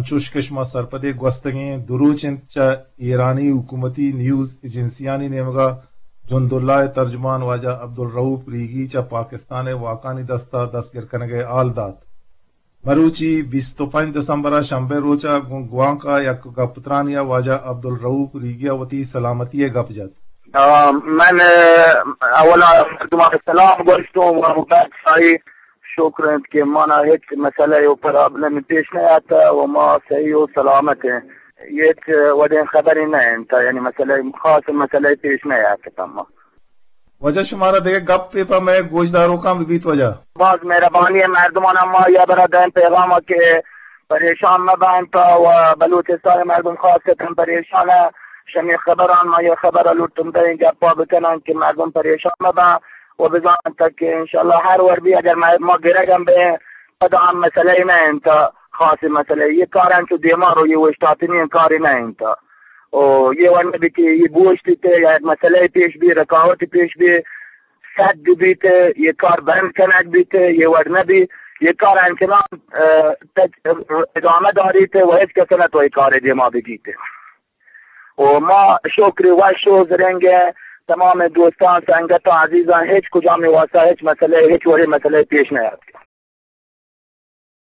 چوش کہ شما سرپدے، گوستگیں دو روچ انت چہ ایرانی حکومتی نیوز ایجنسیانی نیمگا جند اللہ ء ترجمان واجہ عبدالرؤف ریگی چہ پاکستان ء واکانی دستا دستگر کنگ ء حال دات۔ مروچی بیست و پنچ دسمبر ء شنبہ روچ ء گوں گوانک ء یک گپ ترانی ء واجہ عبدالرؤف ریگی ء وتی سلامتی ء گپ جت۔ آ، من، آ، اولا مردمان سلام گوشتوں و بعد سائی شکر انت کہ مانا ہچ مسئلہ و پرابلم پیش نہ آتا و ما صحیح و سلامت ہیں۔ ہچ وڑیں خبری نہ انت، یعنی مسئلہ، خاص مسئلہ پیش نہ آتا ما۔ واجہ شمارا دگہ گپے پہ مئے گوشداروکاں بہ بیت واجہ؟ باز مہربانی ہے مردمان، ما یا برا دائم پیغام کہ پریشان مہ بنت و بلوچستان مردم خاص کتن پریشان ہے۔ شمی خبران ما یہ خبر لوٹن دیں گپا بکنن کہ مردم پریشان مہ بن و بزانن تک کہ انشاءاللہ ہر ور بھی اگر ما، ما گرگم بے پدا ہم مسئلہ ہی نہ انت، خاص مسئلہ یہ کار انت دیما رو یہ وشتاتنی کاری نہ انت۔ او یہ ور نہ بیتی یہ گوشتی تے یا مسئلہ پیش بھی، رکاوٹ پیش بھی، سد بیت، یہ کار بند کنگ بیت، یہ وڑ نہ بی، یہ کار انچنان، اه، تک ادامہ داریت و ہچ کس نہ تو یہ کار دیما بگیت۔ و ما شکر وش و زرنگ تمام دوستان، سنگتان، عزیزان، ہچ کجام واسطہ ہچ مسئلہ، ہچ وڑی مسئلہ پیش نہ آت۔